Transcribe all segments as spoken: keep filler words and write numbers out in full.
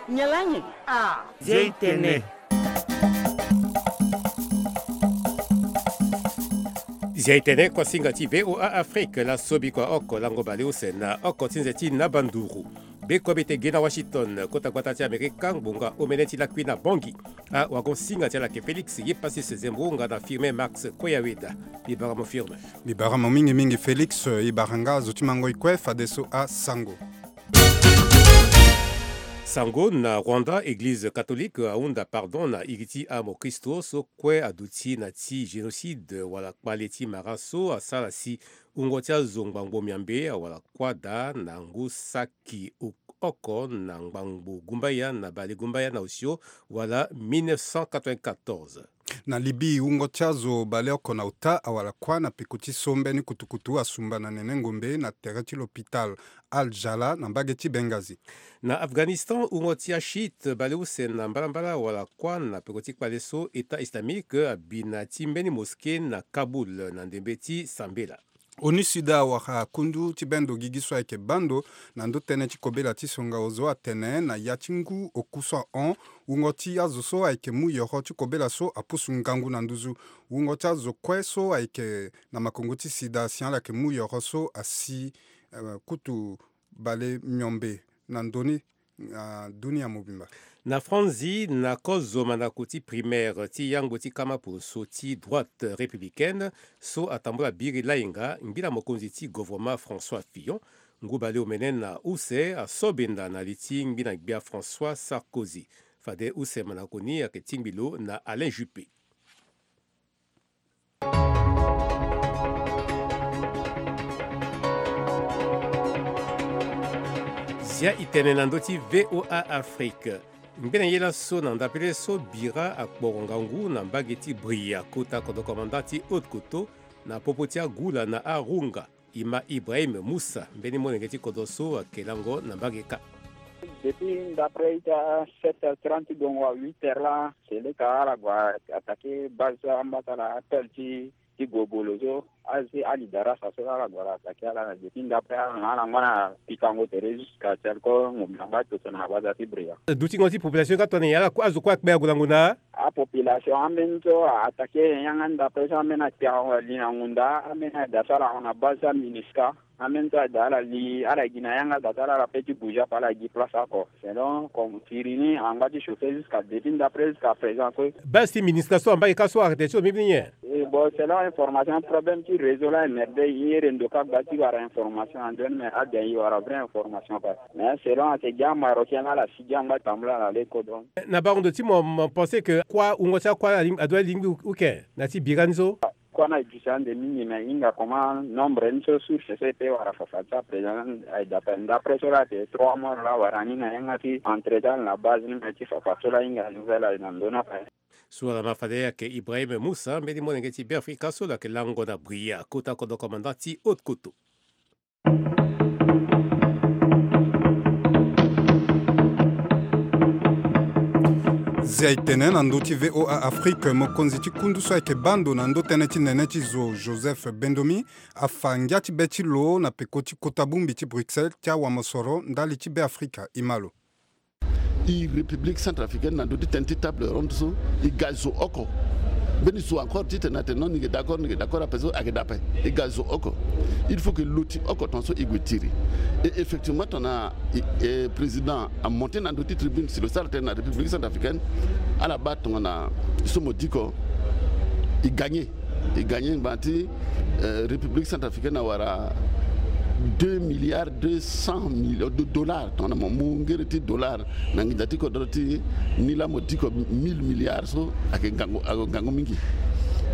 Nyalangi. Ah. Zia itene. Zia itene kuasinga ti V O A Afrique, laso bikua oko lango baleuse na oko ti nze ti naba nduru. Be kobe te ge na Washington, kota gbata ti Amerika, ngbonga omene ti lakui na Bangui. Awagon-singa ti ala yeke Félix Yepassis Zembo nga na Firmin Max Koyaweda. Mbi bara mo Firmin. Mbi bara mo mingi mingi Félix, e bara nga azo ti mango e kue fadeso asango. Sango na Rwanda, Eglize catholique ahunda pardon na iri ti amokristo so kue aduti na ti génocide wala kpale ti mara so asara si wungo ti azo ngbangbo miambe awara kuâ daa na ngu saki oko na ngbangbo gumbaya na bale gumbaya na osio wala mille neuf cent quatre-vingt-quatorze. Na Libye, wungo ti azo baleoko na ota awara kuâ na peko ti so mbeni kutukutu asumba na nene ngombe na tere ti l'hôpital Al Jala na mbage ti Benghazi. Na Afghanistan, wungo ti achiite baleuse na mbalambala awara kuâ na peko ti kpale so État islamique abi na ti mbeni mosquée na Kaboul na ndembe ti sambela. ONUSIDA awara kundu ti bendo gigi so ayeke bando na ndö tënë ti kobela ti songa ozo atene na ya ti ngu oku so ahon, wungo ti azo so ayeke mu yoro ti kobela so apusu ngangu na nduzu. Wungo ti azo kue so ayeke na makongo ti sida si ala yeke mu yoro so asi, eh, kutu bale miombe na ndö ni. Ah, dunia mobimba. Na Franzi, na kozo mandako ti primaire ti yangbo ti kama poroso ti droite républicaine so atambula biri lainga, ngbila mokonzi ti gouvernement François Fillon, ngu baleomene na use aso benda na li ti ngbina gbia François Sarkozy. Fade use mandako ni ayeke tingbi lo na Alain Juppé. Zia itene na ndö ti V O A Afrique. Ngbene ye laso na ndapele so bira akporo ngangu na mbage ti Bria, kota kodro komanda ti Haute-Kotto, na popo ti agula na arunga. E ma Ibrahim Moussa, mbeni molenge ti kodro so ayeke lango na mbage kâ. Depuis ndapre ita sept heures trente gongo à huit heures la, c'est le ka ala gue attaquer base ambata la appel ti ti gobolo so, azi ali darasa so ala gue ala attaquer ala na depuis ndapre ala na ala ngba na pikango tere jusqu'à tel ko ngombe angba toto na base ti Bria. Dutingo ti population ka tongana nyen, ala azo kue akpe ague na ngonda? Apopulation ambeni so a attaquer yanga ndapre so ambeni akpe ague na li na ngonda, ambeni aye da so ala hon na base ti MINUSCA. Ambeni so aye da ala li, ala gi na yanga da so ala pe ti bouger ape ala gi place oko. Selon comme firi ni angba ti chauffer jusqu'à depuis ndapre jusqu'à présent kue. Base ti MINUSCA so ambage ka so arrêté ti lo mbi ni nyen? E bon, selon information, problème ti réseau la e merde, e rendo ka gba ti wara information andoni, mais aden e wara vraie information kue. Mais selon ayeke gi amarocain la ala si gi angba tambula na le kodro. Na bango ndo ti mo, mo pensé que kuâ, wungo ti akuâ adoit lingbi uke na ti bira ni so? Kuâ ni aye duti ande mingi, mais e hinga comment nombre ni so, source so e pe wara fafa ti aprésident aye d'après, d'après so la ayeke trois mois la wara ni na yanga ti entretien na base ni, mais ti fafa so la e hinga nouvelle aye na ndö ni ape. So ala ma fade ayeke Ibrahim Moussa, mbeni molenge ti Beafrika so lo yeke lango na Bria, kota kodro komanda ti Haute-Kotto. Zia e tene na ndö ti V O A Afrique, mokonzi ti kundu so ayeke baa ndo na ndö tënë ti nene ti zo, Joseph Bendomi, afa ngia ti be ti lo na peko ti kota bongbi ti Bruxelles ti awamosoro ndali ti Beafrika. E ma lo. E République centrafricaine na ndö ti tënë ti table ronde so e ga zo oko. Mbeni zo encore titene atene non, ni yeke d'accord, ni yeke d'accord ape so ayeke daa ape. E ga zo oko. Il faut que lo ti oko tongaso e gue tiri. Et effectivement tongana e, e président amonté na ndö ti tribune si lo sara tënë na République centrafricaine, ala baa tongana so mo diko e gagné. E gagné ngbanga ti, euh, République centrafricaine awara deux milliards deux cent millions de dollars. Tongana mo mu ngere ti dollar na nginza ti kodro ti ni la mo diko mille milliards so ayeke ngangu, ayeke ngangu mingi.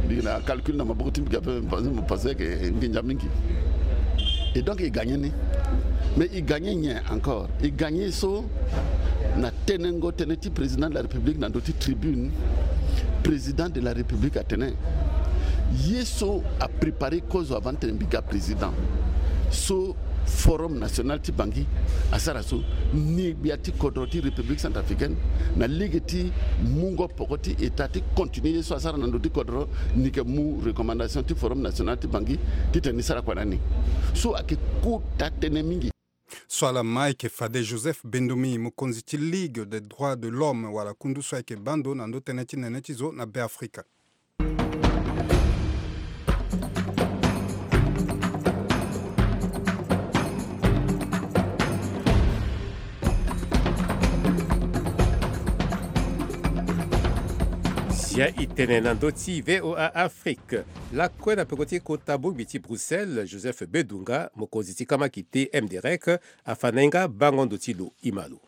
Mbi na calcul na maboko ti mbi ape, mo pensé, mo pensé ayeke nginza mingi. Et donc e gagné ni. Mais e gagné nyen encore? E gagné so na tenengo tënë ti président de la République na ndö ti tribune, président de la République atene ye so apréparé kozo avant titene mbi ga président so, Forum national ti Bangui asara so, ni gbia ti kodro ti République centrafricaine na lege ti mungo poko ti État ti continuer ye so asara na ndö ti kodro, ni yeke mu recommandation ti Forum national ti Bangui titene ni sara kua na ni. So ayeke kota tënë mingi. So ala ma ayeke fade Joseph Bendoumi, mokonzi ti Ligue des droits de l'homme, wala kundu so ayeke baa ndo na ndo tënë ti nene ti zo na Beafrika. Zia e tene na ndö ti V O A Afrique. Lakue na peko ti kota bongbi ti Bruxelles, Joseph Bedunga, mokonzi ti kamaki ti M D R E C, afa na e nga bango ndo ti lo. E ma lo.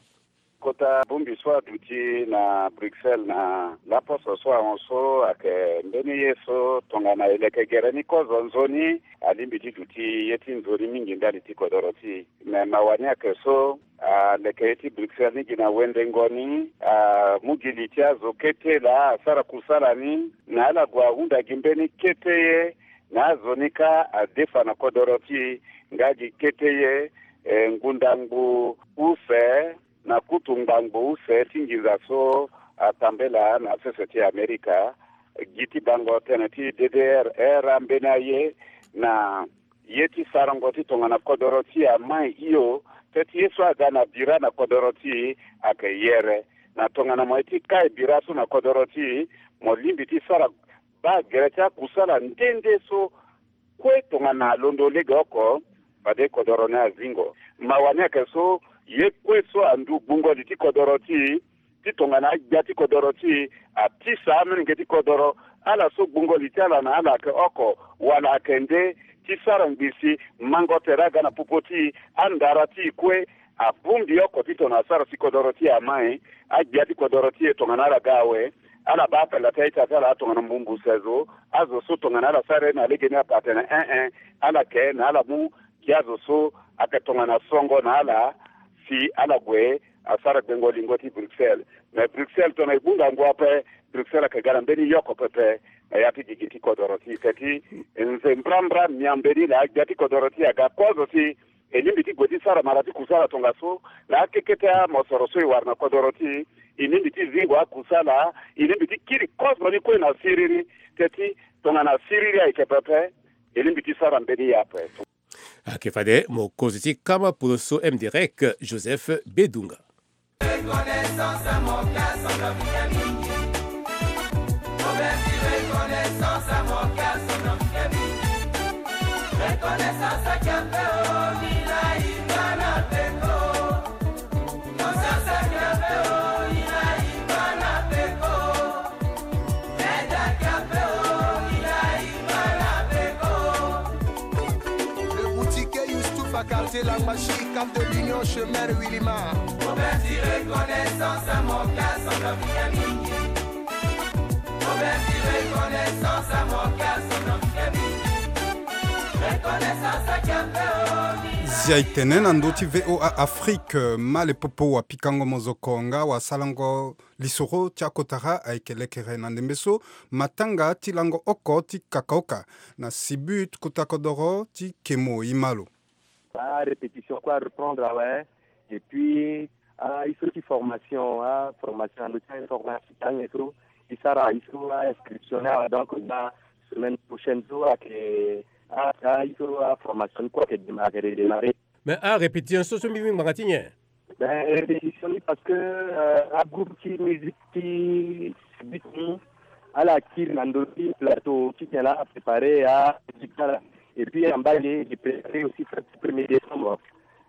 Kota bongbi so aduti na Bruxelles na laposo so ahon so ayeke mbeni ye so tongana e leke gere ni kozo nzoni, alingbi ti duti ye ti nzoni mingi ndali ti kodoro ti e. Me mawa ni ayeke so, aleke ye ti Bruxelles ni gi na wendengo ni, amu gi li ti azo kete laa asara kusala ni, na ala gue ahunda gi mbeni kete ye, na azo ni kâ adefa na kodoro ti e nga gi kete ye, eh, ngbunda ngbu use, na kutu ngbangbo use ti nginza so atambela na sese ti Amerika, gi ti bango tënë ti D D R, era mbeni aye na ye ti sarango ti tongana kodoro ti e amai hio, peut-être ye so aga na bira na kodoro ti e ayeke yere. Na tongana mo ye ti kai bira so na kodoro ti e, mo lingbi ti sara baa gere ti akusala nde nde so kue tongana alondo legeoko, fade kodoro ni azingo. Mawa ni ayeke so, ye kue so andu gbungo li ti kodoro ti e, ti tongana agbia ti kodoro ti e atisa amolenge ti kodoro, ala so gbungo li ti ala na ala ayeke oko wala ayeke nde, ti sara ngbii si mango tere aga na popo ti e, andara ti e kue, abongbi oko ti tongana asara si kodoro ti e amai, agbia ti kodoro ti e tongana ala ga awe, ala baa apela ti a-ita ti ala tongana mbumbu sezo, azo so tongana ala sara ye na legeni apa atene en en, ala ke na ala mu gi azo so ayeke tongana songo na ala, si ala gue asara gbengo lingo ti Bruxelles. Me Bruxelles tongana e gbunga ngu ape, Bruxelles ayeke ga na mbeni yoko pepe na ya ti gigi ti kodoro ti e, peut-être nze mbrambra miambe ni na agbia ti kodoro ti e aga kozo si e lingbi ti gue ti sara mara ti kusala tongaso na akekete amosoro so e wara na kodoro ti e. E lingbi ti zingo akusala, e lingbi ti kiri kozo ni kue na siriri. Teti tongana siriri ayeke pepe, e lingbi ti sara mbeni ye ape. Ayeke fade mokonzi ti kama poloso M D R E C, Joseph Bedunga. Le boutiquier Youssouf à quartier Lambashi, cap de l'Union, chemin Wilima. Zia e tene na ndö ti V O A Afrique, Malepopo wapikango mozoko nga wasalango lisoro ti akotara ayeke lekere na ndembe so matanga ti lango oko ti kakaoka na Sibut kota kodoro ti Kemo. E ma lo. Arépétition kue areprendre awe. Et puis, ah, il faut ti formation, ah, formation na ndö ti informatique ange so e sara, il faut ainscription ni awe. Donc na semaine prochaine so ayeke, ah, ah, il faut, ah, formation ni kue ayeke démarrer, redémarrer. Mais arépétition so so mbi mbi ngbanga ti nyen? Ben, répétition ni parce que, euh, agroupe ti musique ti Sibut ni, ala kiri na ndö ti plateau ti tene la apréparer amusique ti ala. Et puis na mbage e préparer aussi fête ti premier décembre.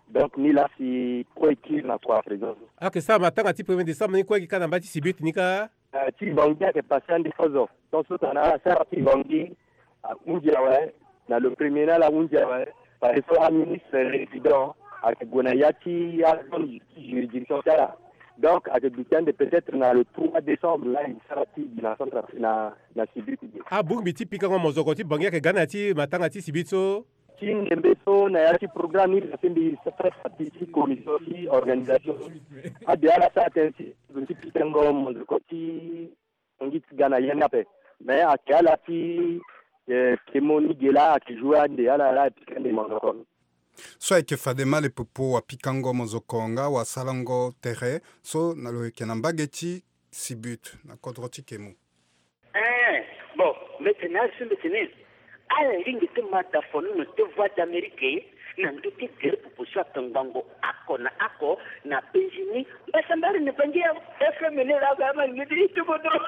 Donc ni la si kue e kiri na kua présent. Ayeke sara matanga ti premier décembre ni kue e gi kâ na mbage ti Sibut ni kâ? Eh, ti Bangui ayeke passé ande kozo. Tant so tongana ala sara ti Bangui, ahunzi awe, na le premier ni ala hunzi awe. Parce que aministre résident ayeke gue na ya ti azone ti juridiction ti ala. Donc ayeke duti ande peut-être na le trois décembre la e sara ti gi na centre na, na Sibut ti gi. Abongbi ti pikango mozoko ti Bangui ayeke ga na ya ti matanga ti Sibut so? Ti ndembe so na ya ti programme ni la si mbi fait partie ti commission ti organisation. Ade ala sara tënë ti zo ti pikango mozoko ti Bangui ti ga na ya ni ape. Mais ayeke ala ti, eh, Kemo ni ge la ayeke jouer ande ala la e pika ande mozoko. So ayeke fade Malepopo wapikango mozoko nga wasalango tere so na lo yeke na mbage ti Sibut na kodro ti Kemo. Eh, bon, mbi tene asi mbi tene ala lingbi ti ma dafono na te Voix d'Amérique. Na ndö ti tere popo so ape ngbangbo oko na oko na penzi ni. Mbasambare na Bangui ya F M ni laa ka ama ni ti kodro.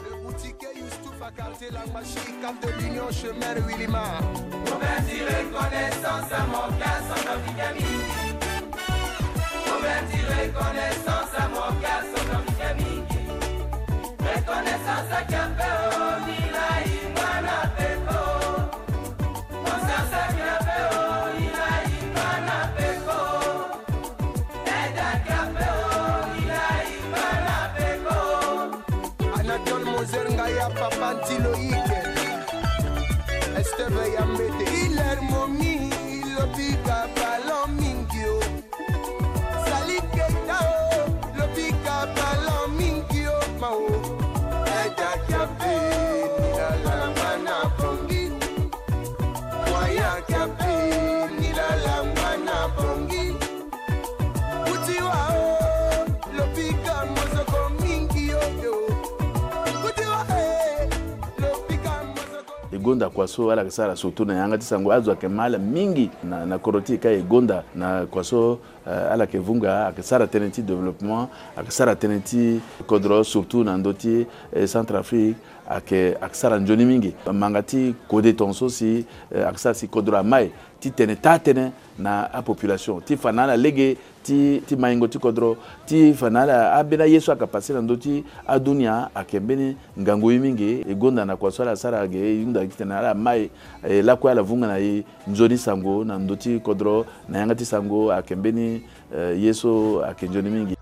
Le boutiquier Youssouf à quartier Langmachi, Cap de l'Union, chemin Wilima. Roberti, reconnaissance à mon gars, centrafricain mingi. Roberti, reconnaissance à mon gars, centrafricain mingi. Reconnaissance à Kiapeo, Mila, Imana, Peko. Mon sasa Kiapeo, Mila, Imana, Peko. Eda Kiapeo, Mila, Imana, Peko. Anatole Moser Ngaya, papa Ntiloïke. Esteve ya mbete. Hilaire Momi, lobika ballon mingi o. Sali Keita o, lobika ballon mingi o, ma o. Eda Kiapeo, Mila, Langmana, Bongi. Moyen Kiapeo, Mila, Langmana, Bongi. Kuti wa o, lobika mozoko mingi o, yo. Kuti wa, eh, lobika mozoko. E gonda kua so ala yeke sara surtout na yanga ti sango, azo ayeke ma ala mingi na, na kodro ti e ka e gonda na kua so, eh, ala yeke vunga, ayeke sara tënë ti développement, ayeke sara tënë ti kodro surtout na ndö ti, eh, Centrafrique, ayeke, ayeke sara nzoni mingi. Manga ti kode tongaso si, eh, ayeke sara si kodro amai ti tene taa tënë na apopulation ti fa na ala lege ti, ti maingo ti kodro, ti fa na ala ambeni aye so ayeke pase na ndö ti adunia ayeke mbeni ngangu ye mingi. E gonda na kua so ala sara ge, e hunda gi titene ala mai, eh, lakue ala vunga na e nzoni sango na ndö ti kodro, na yanga ti sango ayeke mbeni, eh, ye so ayeke nzoni mingi.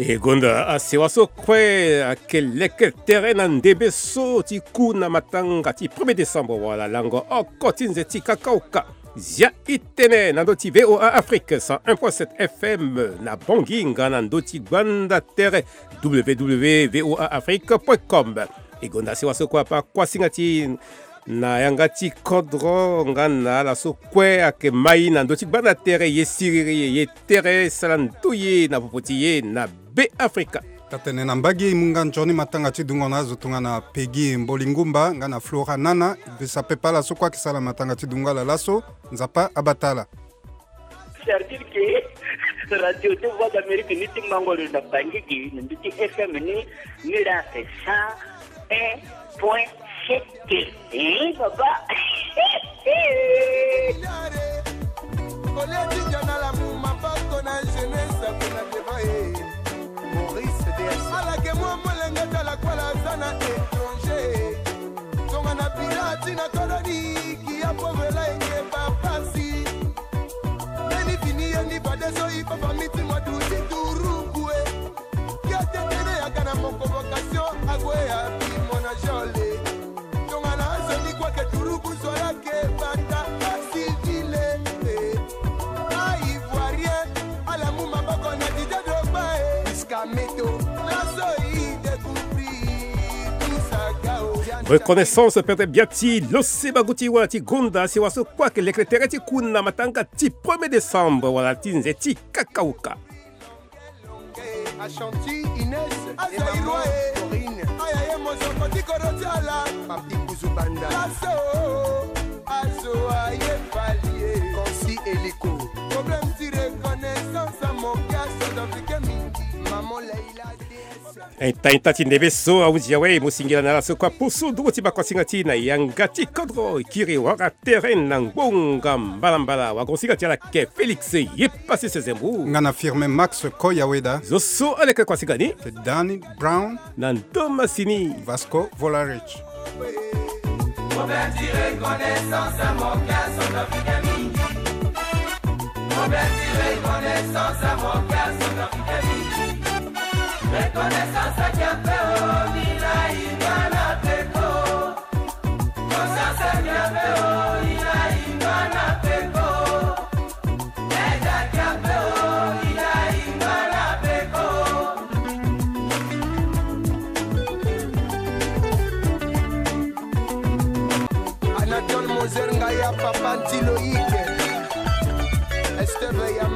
E gonda asewa so kue ayeke leke tere na ndembe so ti ku na matanga ti premier décembre wala lango oko ti nze ti kakaoka. Zia e tene na ndö ti V O A Afrique cent un point sept F M na Bangui nga na ndö ti gbanda tere W W W V O A Afrique point com. E gonda sewa so kue ape akuasinga ti na yanga ti kodro nga na ala so kue ayeke mai na ndö ti gbanda tere ye siriri ye tere sara ndoye na popo ti ye na Be Afrika. Taa-tene na mbage e mu nga nzoni matanga ti dungo na azo tongana Peggy Mbolingumba nga na Flora Nana. Mbi sape pa ala so kue ayeke sara matanga ti dungo ala laso. Nzapa abata ala. C'est-à-dire que Radio deux Voix d'Amérique ni ti mango lo na Bangui, na ndö ti F M ni, ni la cent un point sept. Eh, papa. Kolia ti jana la mu maboko na jeunesse kuna devant, eh. Maurice D S. Ala ke mwa molenge ti ala kue ala za na étranger. Tongana bila ti na koloni, ki ya pauvre la eke bapasi. Mbeni fini ye ni fadeso, i papa miti mwa duti turugu e. Ki ya tetene ya ga na mo convocation, ague ya bi mo na jole. Tongana azo ni kue ke turugu zo ya ke bata asivile. A ivoirien, ala mu maboko na Didier Drogba e. Iskameto, laso i découvrir tout ça gao. Reconnaissance Pete Biati, lo se bagu ti wala ti gonda sewa so kue ayeke leke tere ti ku na matanga ti premier décembre wala ti nze ti kakauka. Ashanti Ines, Azairoi, Corinne, aya ye mozoko ti kodro ti ala. Papi Kuzubanda. Laso, azo aye fali e. Konsi Eliko. Problème ti reconnaissance à mon gars, ça doit piquer mingi. Maman Leila D S. Ita ita ti ndembe so ahunzi awe, e mu singila na ala so kue apusu ndungu ti bakosinga ti na yanga ti kodro, e kiri wara tere na ngbonga mbalambala. Wagosinga ti ala ke Félix Yepasese Zembu. Nga na Firmin Max Koyaweda. Zo so aleke kosinga ni. Ke Danny Brown. Na ndo masini. Vasco Volarich. Roberti, reconnaissance à mon gars, centrafricain mingi. Roberti, reconnaissance à mon gars, centrafricain mingi. Reconnaissance à Kiapeo, Mila, Imana, Peko. Conscience à Kiapeo, Mila, Imana, Peko. Anatole Moser Ngaya, papa Ntiloïke. Réveille à